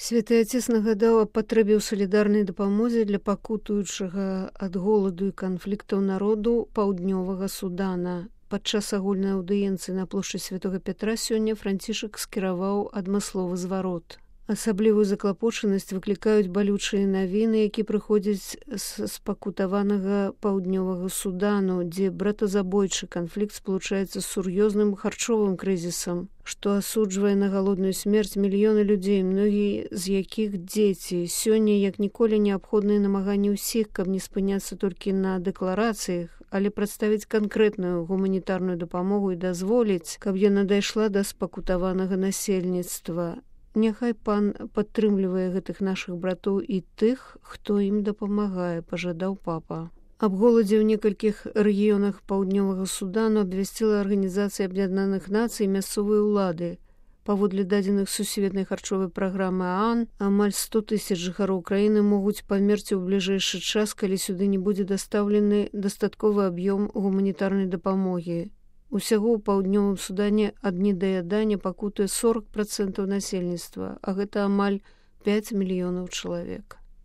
Святы Отец нагадаў аб патрэбе ў салідарнай дапамозе для пакутуючага ад голаду і канфліктаў народу паўднёвага Судана. Падчас агульнай аўдыенцыі на плошчы Святога Пятра сёння Францішак скіраваў адмысловы зварот. Асаблівую заклапочанасць выклікаюць балючыя навіны, які прыходзяць з спакутаванага паўднёвага Судану, дзе братазабойчы канфлікт спалучаецца з сур'ёзным харчовым крызісам, што асуджвае на галодную смерць мільёны людзей, многія з якіх дзеці. Сёння, як ніколі, неабходныя намаганні ўсіх, каб не спыняцца толькі на дэкларацыях, але прадставіць канкрэтную гуманітарную дапамогу і дазволіць, каб яна дайшла да спакутаванага насельніцтва. Няхай пан падтрымлівае гэтых нашых братоў і тых, хто ім дапамагае, пажадаў папа. Аб голадзе ў некалькіх рэгіёнах паўднёвага Судану абвясціла Арганізацыя Аб'яднаных Нацый мясцовыя ўлады. Паводле дадзеных сусветнай харчовай праграмы ААН, амаль 100 000 жыхароў краіны могуць памерці ў бліжэйшы час, калі сюды не будзе дастаўлены дастатковы аб'ём гуманітарнай дапамогі. Усяго ў паўднёвым Судане ад недаядання пакутуе 40% насельніцтва, а гэта амаль 5 мільёнаў чалавек.